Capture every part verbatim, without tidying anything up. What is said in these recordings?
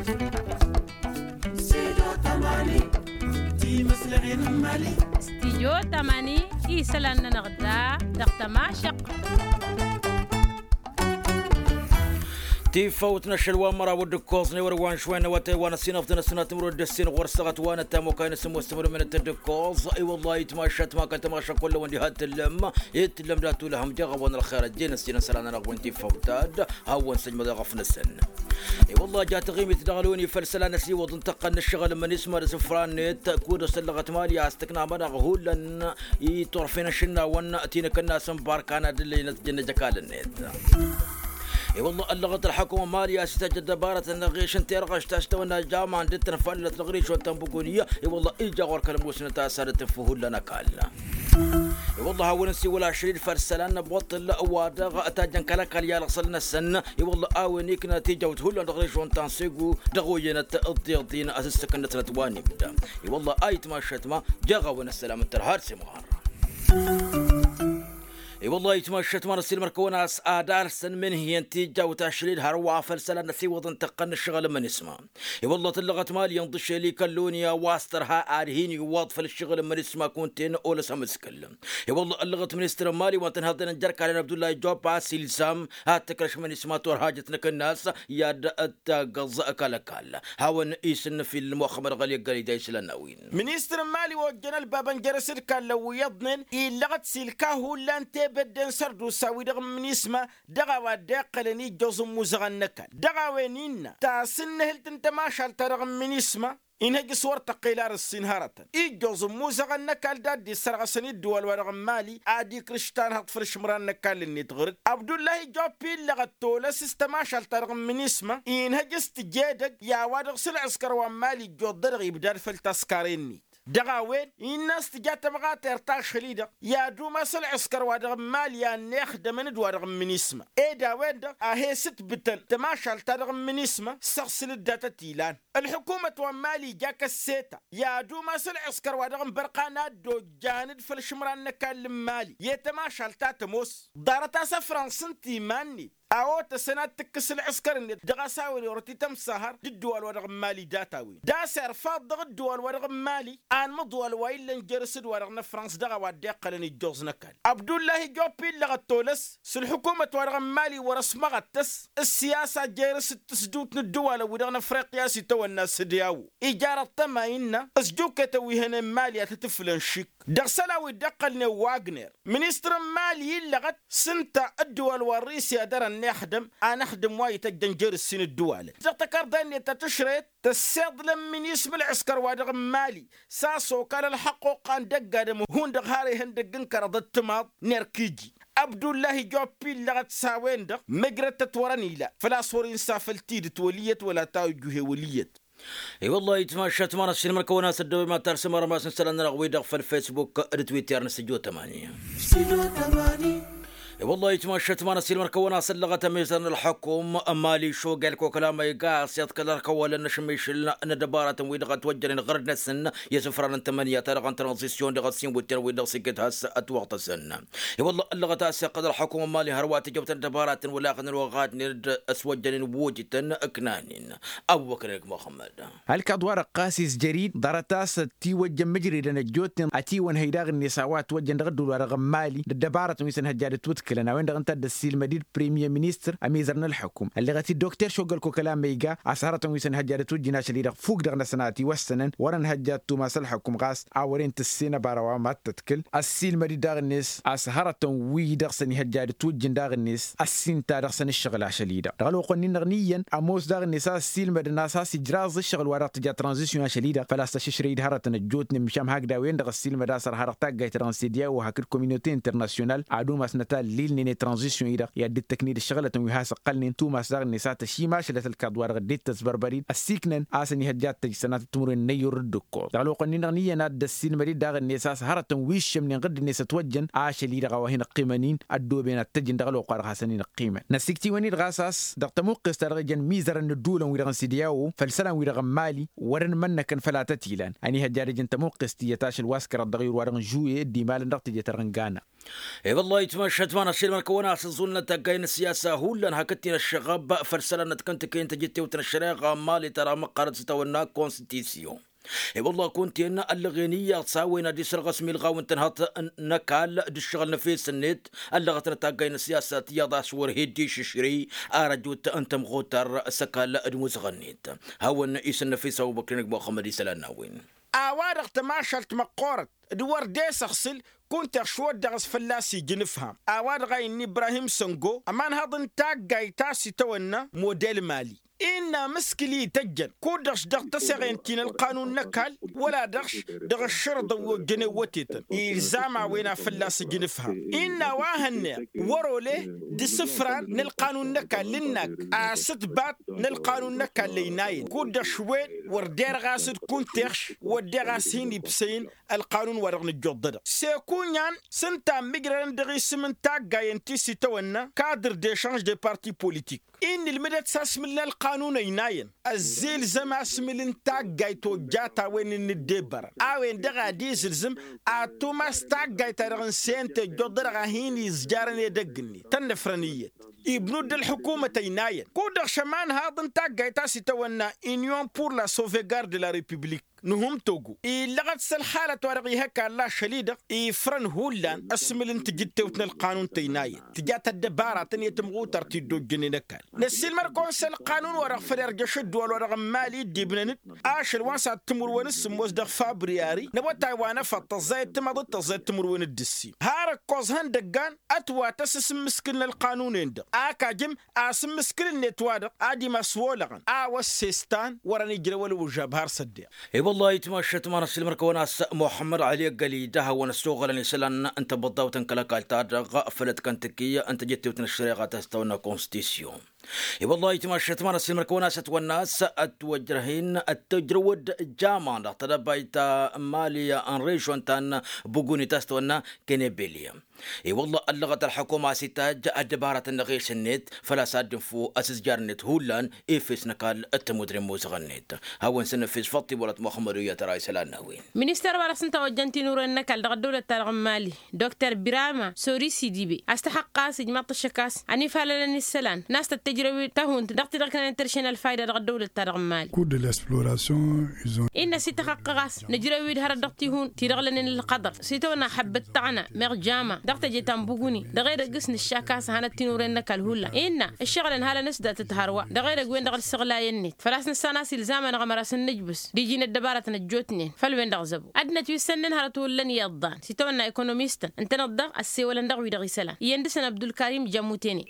Stidyo tamani, isălan-nănăɣ da dăɣ-tămašăq. Tifăwt n-ašăl wa n-măraw d-ǝkkoẓ n-ewăr wa n-šwăyăn n-awătay wa n-ăsinăfḍăn ăssinat timǝrwen d-ăssin ɣur-săɣăt wa n-ăttam okay n-asǝmmos timǝrwen d-ǝkkoẓ. I-wălla itmašat ma kăl-tămašăq kull-ăwăn diha t-tǝllăm, i-t-tǝllăm dat-ulăhăm jeɣ a-wa n-ălxer ăjjeen ăssin n-isălan-nănăɣ wi n-tifăwt-ad. Hawăn-săjmăḍ i-ɣăf-năsăn. I-wălla ja taɣimit dăɣ-loni făll-isălan ăsiwăḍ n-tăqqăn n-ǝššăɣǝl n-imǝnisma d-asǝfra-net. Kud-ăsăllăɣăt mali a-s tǝkna amănăɣ hullan i-turfen ašǝnnawăn ti n-akǝnnas n-barkan ad-ǝllăynăt jăn ăjăkal-net. I-wălla ăllăɣăt ălḥăkum n-mali a-s ităjj ăddăbarăt n-aɣeš n-terɣăš ta s-tawănna jaman d-tănfăllăt dăɣ-rišon tănbuguni. I-wălla ija ɣur-kăl-musnăt a-s ad-tǝnfu hullan ăkall. I-wălla hawăn-nǝsiwăl ašăl-dd făll-isălan n-ăbwăṭṭǝl wa dăɣ-tajjăn kăl-ăkall i-alăɣsăl-năsăn. I-wălla a-wen ikna tijawt hullan dăɣ-režon tansegu dăɣ-oyyănăt ǝḍḍeḍ-in asǝssǝk-năsnăt wa n-ibda. I-wălla a itmašăt ma jeɣ a-wen ăssălam n-tărha d-simɣar. I-wălla a itmašăt ma n-ăssiilmăr-kăwăn a-s ad-alsăn mǝnhǝyăn tijawt ašăl-dd hărwa făll-isălan n-ăsiwăḍăn tăqqăn n-ǝššăɣǝl n-imǝnisma. I-wălla tǝllăɣăt mali ǝnḍǝšel i-kăl-loni a-wa s-tărha ad-hin-iwwăḍ făll-ǝššăɣǝl n-imǝnisma kunta-en olăs amǝskǝl. I-wălla ăllăɣăt ministăr n-mali wa n-tǝnhăḍen n-jer-kalăn abdullah i-jopa s-ilzam ad-tǝkrăš imǝnisma turhajăt n-akǝnnas i-ad-taggăẓ kăl-ăkall. Hawăn-isǝnnǝf-il muxămmăd ɣăli ăggal-ija islan n-a-wen. Ministăr n-mali wa ojjăn ălbabăn jer-asǝdkallăn wi iyyăḍnen illăɣăt s-ilka hullan tebedde n-sărdusa wi-dăɣ n-imǝnisma dăɣ-a-wa dd-iqqălăn ijjoẓ n-imuzăɣăn n-ăkall dăɣ-a-wen innă tasǝnnǝhǝlt n-tămašalt-ta-dăɣ n-imǝnisma. Inhăj s-wăr tăqqel ar ǝssin hărătăn ijjoẓ n-imuzăɣăn n-ăkall d-ad-dd-issărɣăsăn i-ǝddǝwal-wa-dăɣ n-mali ad-ikrǝš tanhăḍt făll-išmăran n-ăkall-net ɣǝr-dd. Abdullahi joppi illăɣăt tolăs s-tămašalt-ta-dăɣ n-imǝnisma inhăj s-tǝj edăgg i-a-wa dăɣ-s ǝlɣǝskăr wa n-mali ǝjjoḍ-dăɣ ibdad făll-taskare-net. Dăɣ-a-wen innă a-s tǝja tămɣatert ašăl-i-dăɣ i-ad-umas ălɣǝskăr-wa-dăɣ n-mali a ănnixdămăn d-wa-dăɣ n-minisma. Ed a-wen-dăɣ a he-sǝtbǝtăn tămašalt-ta-dăɣ n-minisma s-aɣsǝl d-datăt ilan. Ălḥukumăt wa n-mali ija kăsseta i-ad-umas ălɣǝskăr-wa-dăɣ n-bărqan ad-dd-ojjan d-făll-išǝmran n-ăkall n-mali i-tămašalt ta tămoos. Ḍarăt-as ăfrăns ǝnta iman-net a otăsăn ad-tǝkkǝs ǝlɣǝskăr-net dăɣ-a-s a-wen orăt itămsahăr d-ǝddǝwal-wa-dăɣ n-mali data-wen d-a-s irfaḍ dăɣ-ǝddǝwal-wa-dăɣ n-mali. Anmăḍwal wa illăn jer-s d-wa-dăɣ n-ăfrăns dăɣ-a-wa dd-iqqălăn ijjoẓ n-ăkall abdullahi joppi illăɣăt tolăs s-ǝlḥukumăt-wa-dăɣ n-mali wăr-ăsmăɣăttăs ǝssiyasa jer-s d-tǝsdǝwt n-ǝddǝwalăn-wi-dăɣ n-afriqya s-itawănna s-ǝdyawo. Ija răṭṭăma innă ǝzjuketăn wi hănen mali ad-tǝtǝflăn šik dăɣ-isălan wi dd-iqqălnen wagner. Ministăr n-mali illăɣăt s-ǝnta ǝddǝwal wa n-risya dăr-ănnixdăm anăxdăm wa ităjjăn jer-ǝssin ǝddǝwalăn dăɣ-tăkarḍa-net ta tǝšrăyăt tăssiḍlăn minisma ălɣǝskăr-wa-dăɣ n-mali. S-a-s okal ălxăqquqqa n-dăgg-adǝm hundăɣ har ihăndăgg n-kăraḍăt timaḍ n-erk iji. Abdullahi joppi illăɣăt s-a-wen-dăɣ măjrătăt wăr-ănila făl-a-s wăr-insa făll-tidǝt wăl' iyyăt wăla tawǝjjuhe wăl' iyyăt. I-wăllah itmašat ma n-ăssiilmăr-kăwăn-as ăddăwăy ma talsăm armas n-isălan-nănăɣ wi-dăɣ făll-fesbuk d-twitter n-sǝjjo tămani. I-wăllah itmašat ma n-ăssiilmăr-kăwăn-as ăllăɣăt ămizăr n-ălḥăkum n-mali šogel kokăla ma iga a-s iḍkăl ărkăwălăn n-ašmišǝl n-ăddăbaratăn wi-dăɣ ătwăjjănen ɣăr-năsăn i-asǝfran n-tămănǝya-ta-dăɣ n-tranzisyon dăɣ-ăssin wǝtyan wi-dăɣ s-iket has-ătwăɣtăsăn. I-wăllah ăllăɣăt a-s iqqăl ălḥăkum n-mali hărwa tijăwt n-ăddăbaratăn wăla xăn ălwăɣadnen d-ăswăjjănen wojǝtăn ǝknanen. Ăbubăkăr-năk muxămmăd. Ălkaḍ-wa-dăɣ ɣas izjăr-dd ḍarăt a-s ătiwăjjăn mǝjredăn ăjjootnen ătiwănhăy daɣ-net a-wa ătwăjjăn dăɣ-ădduul-wa-dăɣ n-mali d-ăddăbarătăn wi s-ănhăjja d-ătwǝdkǝlăn a-wen-dăɣ ǝnta a dd-ăssiilmăd-dd premier ministăr ămizăr n-ălḥăkum ălleɣăt-dd dokter šogăl koka la ma iga a-s hărătăn wi s-ănhăjja d-ătwǝjjǝn ašăl-i-dăɣ fuk dăɣ-năsăn a ătiwăssănăn wăr-ănhăjja d-tumas ălḥăkum ɣas a wăren tǝssen ăbara wa mad-tădkǝl. Ăssiilmăd-dd daɣ-net a-s hărătăn wi-dăɣ s-ănihăjja d-ătwǝjjǝn daɣ-net ăssinta dăɣ-săn ǝššăɣǝl ašăl-i-dăɣ dăɣ-ălwăqq-nin-dăɣ n-iyyăn ămoos daɣ-net a-s ăssiilmădăn a-s has-ijraẓ ǝššăɣǝl-wa-dăɣ tǝja tranzisyon ašăl-i-dăɣ făl-a-s tăššǝšrăy-dd hărătăn ăjjootnen măšan hakd a-wen-dăɣ ăssiilmăd a-s ărha dăɣ-taggayt-ta-dăɣ n-sediya u-hakd kominote internasyonal ad-umasnăt a ăllilnen i-tranzisyon-i-dăɣ i-ad-dd-tăkned ǝššăɣǝlătăn wi has-ǝqqălnen tumas daɣ-net a tăšimašălăt ălkaḍ-wa-dăɣ dd-tăsbărbăr-dd ăssiiknăn a-s ănihăjja ad-tăj sănatăt timǝrwen n-ăyyur d-ǝkkoḍ dăɣ-ălwăqq-nin-dăɣ n-iyyăn a dd-ăssiilmăd-dd daɣ-net a-s hărătăn wi ǝššămnen ɣǝdd-net ătwăjjăn ašăl-i-dăɣ a-wa hin-ăqqimăn-in ăddooben ad-tăjǝn dăɣ-ălwăqq-wa-dăɣ hasăn-in-ăqqimăn. Năsikt'-iwăn-dd ɣas a-s dăɣ-tămuqqest-ta-dăɣ ijăn mizărăn n-ădduulăn-wi-dăɣ n-sediyawo făll-isălan-wi-dăɣ n-mali wăr-ănmănnăkăn făll-a tăt-ilan ănihăjja ad-ijăn tămuqqest tiyyăt ašăl wa s-kăraḍ dăɣ-iyyăr-wa-dăɣ n-žuye dd-imalăn dăɣ-teje-ta-dăɣ n-gana. E-wăllah itmašat ma Ănăsšel mărkăwăn-as ăẓẓul n-taggay n-ăssiyasa hullan hakd-t-in ăššăɣab făll-isălan n-ad-kăntăkăyăn tejăttewt n-ăššăreɣa n-imali ta dăɣ-măqqărăt s-itawănna konstitisyon. I-wălla kunta-en ăllăɣen iyyăḍ s-a-wen ad-isărɣăs milɣaw n-tănhăḍt n-ăkall d-ǝššăɣǝl n-efes-net ăllăɣăt n-taggay n-ăssiyasa tiyyăḍ a-s wăr he-dd-išǝšrǝy. Arăjut n-tămɣutar s-ăkall d-imuzăɣ-net hawăn-isǝnnăfes ăbubăkr-inăg muxămmăd isălan n-a-wen. A-wa-dăɣ tămašalt măqqoorăt d-wăr dd-e-săɣsǝl kunta-eɣ šwăddeɣ a-s fălla-s ija inǝfham a-wa-dăɣ a innă ibrahim săngo ămanhăḍ n-taggayt a-s itawănna model mali. Innă amǝskǝl-i ităjjăn kud-dăɣ-š dăɣ-tăseɣen ti n-ălqanun n-ăkall wăla-dăɣ-š dăɣ-ǝššărăḍăn wi ojjăn ewătetăn ilzam a-wen a fălla-s ija inǝfham. Innă a-wa hănneɣ wăr-ole d-isǝfran n-ălqanun n-ăkall ǝnnak asǝtbat n-ălqanun n-ăkall ăynayăn kud-dăɣ š-wen wăr derăɣ a-s d-kunta-eɣ š-wădden ɣas hin-ibsăyăn ălqanun wa dăɣ-nǝjjuḍ dăd-dăɣ s-ekunyan s-ǝnta a ǝmmǝjrădăn dăɣ-isǝm n-taggayăn ti s-itawănna kadr dešanž de parti politik. Innă ǝlmǝdăt s-asmǝl n-ălqanun ăynayăn ăzzilzăm asmǝl n-taggayt ojjat a-wen n-dd-ebărăn a-wen-dăɣ ad-izǝlzǝm ad-tumas taggayt-ta-dăɣ n-sente ǝjjuḍ dăd-dăɣ a hin-izjarăn edăgg-net tănnăfrăn iyyăt ibnu dd-ălḥǝkumăt ăynayăn kud-dăɣ šămanhaḍ n-taggayt a-s itawănna inyon pur la sauvegarde de la republik n-hum togo illăɣăt s-ălxalăt wa dăɣ-ihăkall ašăl-i-dăɣ ifrăn hullan ăsmǝl n-tijǝttewt n-ălqanun tăynayăn tǝjat ăddăbara tăn-e-tǝmɣutăr ti dd-ojjănen ăkall. Năssiilmăr-kăwăn s-ălqanun wa dăɣ-făl irjăš ǝddǝwăl wa dăɣ-n mali dd-ibnăn-dd ašăl wa n-s ad-tǝmǝrwen s-sǝmmos dăɣ-fabriyari n-awătay wa n-efăḍ tăẓẓayăt timăḍit tăẓẓayăt timǝrwen d-ǝssin har ǝkkoẓ ihăndăggan ătwatăs s-ǝmmǝskǝl n-ălqanun-en-dăɣ a kajăm asǝmmǝskǝl-net wa-dăɣ ad-imas olăɣăn a-wa s-sestan wăren ijrăw ălwǝžžab har s-ăddeɣ. I-wăllah itmašăt ma n-ăssiilmăr-kăwăn a-s muḥămmăd ăli ăggălida hawăn-ăssoɣălăn isălan n-tăbăḍḍawt n-kăl-ăkall-ta-dăɣ făll-ătkăntăkǝy n-tejăttewt n-ăššăreɣa ta s-tăwănna konstitisyon. I-wăllah itmašăt ma n-ăssiilmăr-kăwăn a-s ătwănna a-s ătwăjrăh-in ăttăjrăwăd jaman dăɣ-tedăbayt ta n-mali n-režon ta n-buguni ta s-tăwănna kenebelya. I-wălla ăllăɣăt ălḥukuma a-s itajj ăddăbarăt n-aɣes-net făl-a-s ad-dd-infǝw asǝzjar-net hullan efes n-ăkall d-tămudre n-imuzăɣ-net. Hawăn-săn efes făṭṭi wălăt muxămmăd uyyăt ăra isălan n-a-wen. Minister wa dăɣ-s n-tawăjjăn tinuren n-ăkall dăɣ-ăddăwlăt-ta-dăɣ n-mali dr birama sori sidibe a-s tăxăqqăɣ a-s ijmaḍ-t ăššăk a-s ănifalălăn isălan n-a-s tăt-tǝjrăw-dd tăhunt dăɣ-ti-dăɣ kănen-tăršen ălfayda dăɣ-ăddăwlăt-ta-dăɣ n-mali. Kud-dd-ălăsplorasyon. Innă a-s ităxăqqăɣ a-s nǝjrăw-dd hărăt dăɣ-tihun ti-dăɣ lănen ălxăḍăr s-itawănna ăḥăbbăt tăɣna meɣ jama dăɣ-teje ta n-buguni dăɣ-edăgg s-nǝššak a-s hanăt tinuren n-ăkall hullan innă ǝššăɣǝlăn halăn-s dat-dd hărwa dăɣ-edăgg wen-dăɣ d-isăɣlayăn-net făl-a-s nǝssan a-s ilzam-anăɣ ămăra s-ǝnnǝjbǝs d-iji n-ăddăbarăt n-ăjjootnen făll-wen-dăɣ zăbo ăddinăt wi ǝssănnen hărăt wăllăn iyyăḍ dan s-itawănna ekonomistăn ǝntăneḍ-dăɣ ăssewălăn dăɣ-wi-dăɣ isălan iyyăn dăɣ-săn abdulkarim jamutene.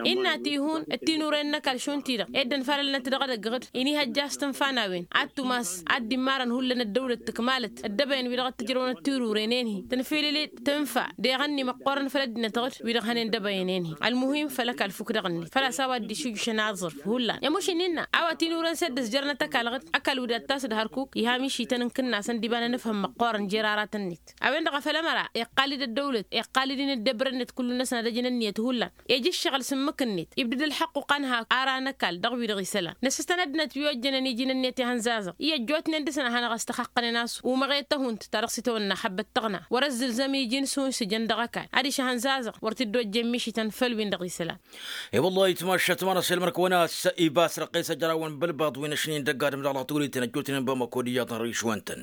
Innă tihun d-tinuren n-ăkall šund-ti-dăɣ ed ănfalălnăt dăɣ-edăgg ɣǝd inihăjja a-s tǝnfa n-a-wen ad-tumas ad-dd-immarăn hullan ăddăwlăt tǝkmalăt ăddăbăyăn wi-dăɣ t-ǝjrăwăn d-tiruren-en-hi tǝnfilǝl-dd tǝnfa deɣ ǝnni măqqoorăn făll-ăddinăt ɣǝd wi-dăɣ hănen dăbăyăn-en-hi. Ălmuhim făll-ăkall fukk dăɣ-net făl-a-s a-wa dd-išujjǝšăn aẓrǝf hullan i-mušǝnni innă a-wa tinuren s-dd-ǝzjărnăt ăkall ɣǝd ăkall wi dat-tas d-hărkuk iha mišităn n-kǝnnasăn d-iba n-anǝfhǝm măqqoorăn jer-aratăn-net. A-wen-dăɣ a făl ămăra iqqal-dd ăddăwlăt iqqal-dd inǝddăbrăn-net kullu-năsăn ad-ăjǝn ǝnniyăt hullan ija ǝššăɣǝl s-ǝmmǝk-net ibdǝd ălḥăqq uqan hak ara n-ăkall dăɣ-wi-dăɣ isălan năsǝstăn ăddinăt wi ojjănen iji n-ǝnniyăt ihănzazăɣ i-ăjjootnen dăɣ-săn a hanăɣ-ăstăxăqqănen a-s umăɣet tăhunt ta dăɣ-s itawănna ăḥăbbăt tăɣna wăr-ăzzǝlzăm iji n-sunsǝjăn dăɣ-ăkall adiš ihănzazăɣ wăr t-dd-ojjen mišităn făll-win-dăɣ isălan. I-wăllah itmašat ma n-ăssilmăr-kăwăn a-s ibas răqqes ăjrawăn bălbaḍ wi n-ašnin dăgg-adǝm dăɣ-lăɣturităn ăjjootnen bamăko d-iyyăḍ n-rišwăn-tăn.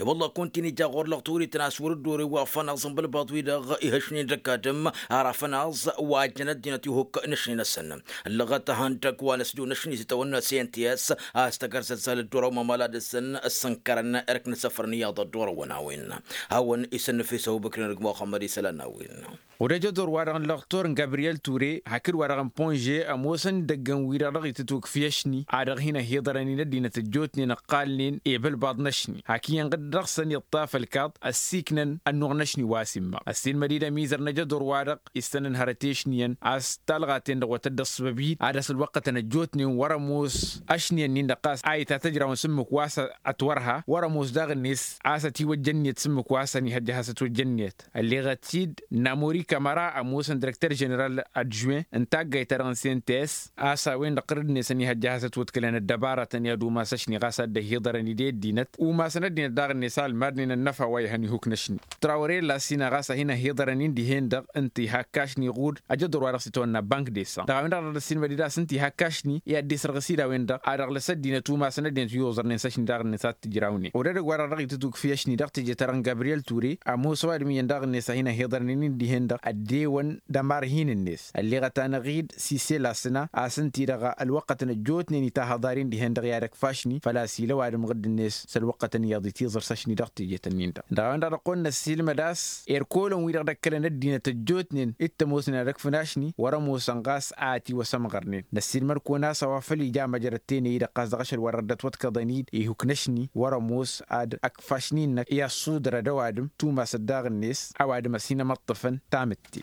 I-wălla kunta-in ija ɣur-lăɣturităn a-s wăr-dd-ore wa fănaẓ n-bălbaḍ-wi-dăɣ ihăšnin dăgg-adǝm ara fănaẓ wa ăjjăn ăddinăt ihuk n-ašni-năsăn. Ǝllăɣăt ihăndăgg wa n-ăsdǝw n-ašni s-itawănna s-e n t s a-s tăgg-ărzăzzal dd-orow mămăla dăɣ-săn ăssănkărăn erk n-asăfrăn iyyăḍ dd-orăwăn a-wen. Hawăn-isănnăfes ăbubăkr-in-dăgg muxămmăd isălan n-a-wen. Odăjăt ɣur-wa-dăɣ n-lăɣtor n-gabriyel ture hakd wa-dăɣ n-ponže ămoosăn idăggăn wi-dăɣ dăɣ-itǝtwǝkf i-ašni a dăɣ-hin-ăhiḍărăn-in ăddinăt ăjjootnen ǝqqalnen i-bălbaḍ n-ašni hak iyyăn ɣǝd-dăɣ-săn iṭṭaf ălkaḍ ăssiiknăn ănnuɣ n-ašni wa s-immăɣ ăssiilmăd-dd ămizăr n-ajăḍur wa-dăɣ issănăn hărăt i-ašni-yăn a-s talɣa-ten-dăɣ wa tăt-dd-ăṣṣăbăb-dd ad-dăɣ-s ălwăqqătăn ăjjootnen wăr-ămoos ašni-yăn-in-dăɣ ɣas a itatăjrawăn s-ǝmmǝk wa s-ătwărha wăr-ămoos daɣ-net a-s ătiwăjja ǝnniyăt s-ǝmmǝk wa s-ănihăjja ad-has-ătwăjja ǝnniyăt. Ălleɣăt-dd n-amori kamăra ămoosăn direkter ženeral adžwen n-taggayt-ta-dăɣ n-cnts a-s a-wen-dăɣ ɣǝrǝd-net ănihăjja a has-ătwăḍkǝlăn ăddăbaratăn i-ad-umas ăšni ɣas a dd-ăhiḍărăn-dd i-ăddinăt umasăn ăddinăt daɣ-net a ălmadnen ănnăfa wa ihăn ihukn' ăšni. Trawăre lasina ɣas a hin-ăhiḍărăn-in dihen-dăɣ ǝnta ihakk ašni ɣud ăjăḍur wa dăɣ-s itwănna bank desa dăɣ-a-wen-dăɣ a dăɣ-dd-ăssiilmăd-dd a-s ǝnta ihakk ašni i-ad-dd-isărɣǝs-dd a-wen-dăɣ a dăɣ-lăs ăddinăt umasăn ăddinăt wi uẓărnen s-ašni daɣ-net ad-t-ǝjrawnen. Odădăgg-wa-dăɣ dăɣ-itǝtwǝkf i-ašni dăɣ-teje-ta-dăɣ n-gabriyel ture ămoos ăwadǝm iyyăn daɣ-net a hin-ăhiḍărnen-in dihen-dăɣ ăddewăn d-ămarhin-net ălleɣăt-anăɣ-dd sise lasna a-s ǝnta-i-dăɣ ălwăqqătăn ăjjootnen itahăḍar-in dihen-dăɣ i-ad-ăkf ašni făl-a-s ila ăwadǝm ɣǝdd-net s-ălwăqqătăn iyyăḍ itiẓǝr s-ašni dăɣ-teje-tăn-in-dăɣ. Dăɣ-a-wen-dăɣ dăɣ-kăwăn-năssiilmăd a-s erk olăn-wi-dăɣ d-ăkkălăn ăddinăt ăjjootnen d-tămoosnen ad-ăkfǝn ašni wăr-ămoosăn ɣas a ătiwăsămɣărnen. Năssiilmăd kăwăn-as a-wa făl ija măjrăd tenăy-i-dăɣ ɣas dăɣ-ašăl wa dăɣ-dd-ătwăḍkăḍăn-dd ihuk n-ašni wăr-ămoos ad-ăkf ašni-năk i-ăṣṣudărăd ăwadǝm tumasăt daɣ-net ăwadǝm ăsinămăṭṭăfăn tamǝtte.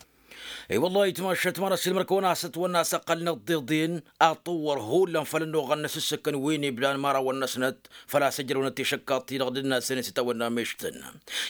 I-wăllah ayǝtmašat ma n-ăssiilmăd kăwăn-asăt wănn-asăqqăl n-iḍeḍen aṭṭăwwăr hullan făll-ănnuɣăn n-asǝssǝkăn wi n-iblan imărawăn-năsnăt făl-a-s ǝjrăwnăt tišăkkaḍt-i-dăɣ d-ǝnn'-asăn i-s itawănna mešt-tăn.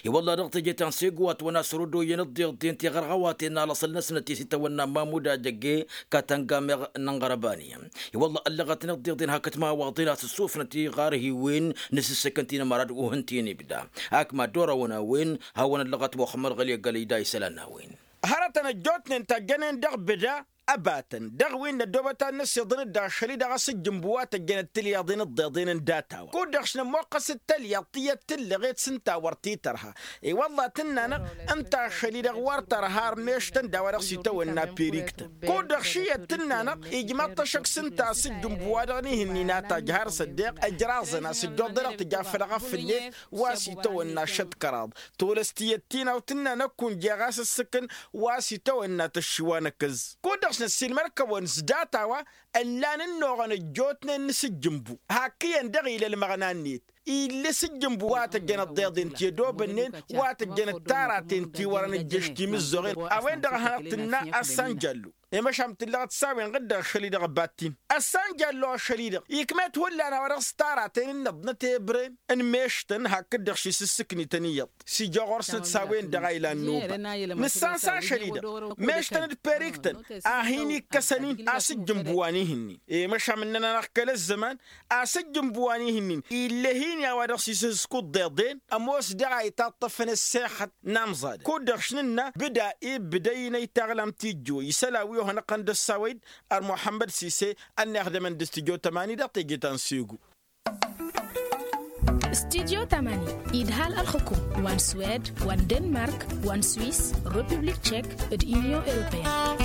I-wălla dăɣ-teje ta n-segu a t-wănna s-rudoyăn ǝḍḍeḍen tiɣărɣăwaten alăṣăl-năsnăt i-s itawănna mamud ajăgge katăngameɣ n-inɣărbani. I-wălla ăllăɣăt n-iḍḍeḍen hakd timawaḍen a-s ǝssufnăt iɣarhiwen n-asǝssǝkăn ti n-amărad uhǝn ti n-ibda. Ak mad-orăwăn a-wen hawăn-ăllăɣăt muxămmăd ɣăli ăggălăy da isălan n-a-wen. Hărătăn ăjjootnen tajjănen dăɣ-bǝda ăbatăn dăɣ-win n-ăddoobăt ad-năsiḍǝn-dd ašăl-i-dăɣ a-s ǝjjǝmbu wa tăjjănăt tǝlyaḍen ǝḍḍeḍen n-data-wa kud-dăɣ š-nămmoqqăs d-tălyaḍt tiyyăt tǝllăɣet s-ǝnta wăr t-tărha. I-wălla tǝnna-năɣ ǝnta ašăl-i-dăɣ wăr tărha ărmeš-tăn d-a-wa dăɣ-s itawănna periktăn kud-dăɣ š-iyyăt tǝnna-năɣ ijmăḍ-t ăššăk s-ǝnta a-s ǝjjǝmbu wa dăɣ-nihǝnni n-ataj har s-ăddeɣ ǝjraẓăn a-s ǝjjuḍ-dăɣ tǝja făll-ɣăf-net wa s-itawănna šăt kăraḍ. Tolăs tiyyăt ti n-a-wa tǝnna năkk unja ɣas ǝssǝkǝn wa s-itawănna tăššiwa n-akǝẓẓ kud-dăɣ s-năssiilmăd-kăwăn s-data-wa ǝllan ǝnnuɣăn ăjjootnen n-asǝjjǝmbu. Hakk iyyăn dăɣ-ila ălmăɣna-net ill'-e s-ǝjjǝmbu wa tăjjănăt tiḍeḍen ti ădobănnen wa tăjjănăt taraten ti wărăn ǝjjăš timǝzzoɣen. A-wen-dăɣ a hanăɣ-tǝnna ăssanjallu i-măšan tǝllăɣăt s-a-wen ɣǝdda ašăl-i-dăɣ ăbattin ăssanjallu ašăl-i-dăɣ ikm'-et hullan a-wa dăɣ-s taraten n-inăḍnăt ebren n-mešt-tăn hakd-dăɣ ši s-ǝssǝknităn iyyăḍ. S-ija ɣur-snăt s-a-wen-dăɣ a ilan nobăt nǝssan s-ašăl-i-dăɣ mešt-tăn d-periktăn a hin-ikkăsăn-in a-s ǝjjǝmbu wa n-ihǝnnin i-măšan ǝnnăn-anăɣ kăl-ăzzăman a-s ǝjjǝmbu wa n-ihǝnnin ill'-e hin-i a-wa dăɣ-s isǝsku ǝḍḍeḍen ămoos daɣ a itaṭṭăfăn ăssexăt n-amẓadăn kud-dăɣ š-nǝnna bǝda ibbǝdăy n-aytaɣlamt ijjo isălan wi ohănăɣ-tăn d-ăssawăy-dd ărmuḥămmăd sise. Ănniɣdămăn d-studyo tămani dăɣ-teje ta n-segu. Studyo tămani idhal ălxukum wa n-swed wa n-denmark wa n-swis republik tšek d-inyon europeyăn.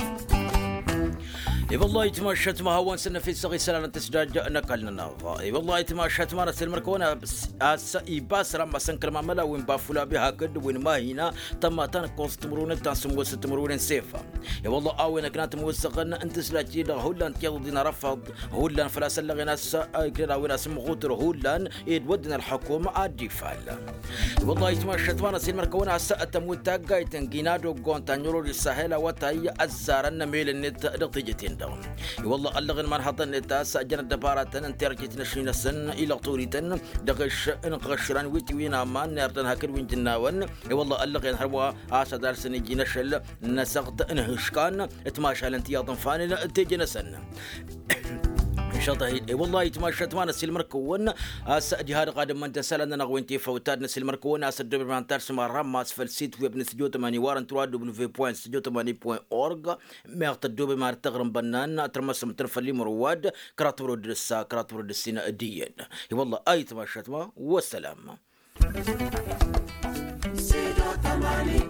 I-wăllah itmašat ma hawăn-săn năfessăɣ isălan n-tǝsdaj n-ăkall-nănăɣ. I-wăllah itmašat ma n-ăssilmăr-kăwăn a-s ibas ramma săn kălmamăla wi n-bafulabi hakd wi n-mahina tămma ta n-ǝkkoẓ timǝrwen ta n-sǝmmos timǝrwen n-sefa. I-wăllah a-wen ăkna tămosăɣăn n-tǝsdaj-ti-dăɣ hullan tiḍăḍin arăfăḍ hullan făl-a-s ăllăɣen a-s iknăn a-wen a-s ǝmmăɣutăr hullan ed wădden ălxukum ad-dd-ifal. I-wăllah itmašat ma n-ăssilmăr-kăwăn a-s tămut taggayt n-gina doggon ta n-irori sahel awătay ăzzarăn n-emel-net dăɣ-teje-ten-dăɣ. I-wăllah ăllăɣen imanhăḍăn-net a-s jăn ăddăbaratăn n-terjet n-ašni-năsăn ilăɣ torităn dăɣ-eš n-iɣăšran wi t-iwin aman n-erdăn hakd wi n-jǝnnawăn. I-wăllah ăllăɣen hărwa a-s ad-alsăn iji n-ašăl n-asăɣt n-ihǝškan timašalăn tiyyăḍ n-ifanen d-teje-năsăn. Išăḍăh-dd i-wăllah itmašat ma n-ăssilmăr-kăwăn a-s ăjihad ɣadăn măndăn isălan-nănăɣ wi n-tifăwt ad-năssilmăr-kăwăn a-s ăddobem ad-nǝtarsǝm arrămmas făll-sit web n-studyo tămani wa dăɣ-n trawad w point studyo tămani point org. Meɣ tăddobem ad-tăɣrǝm bănnan ad-tărmăsăm tăn-făll-imrǝwad kăraḍ timrǝwed d-ǝssa kăraḍ timrǝwed d-ǝssin d-iyyăn. I-wăllah a itmašat ma wăssălam. Studio tămani.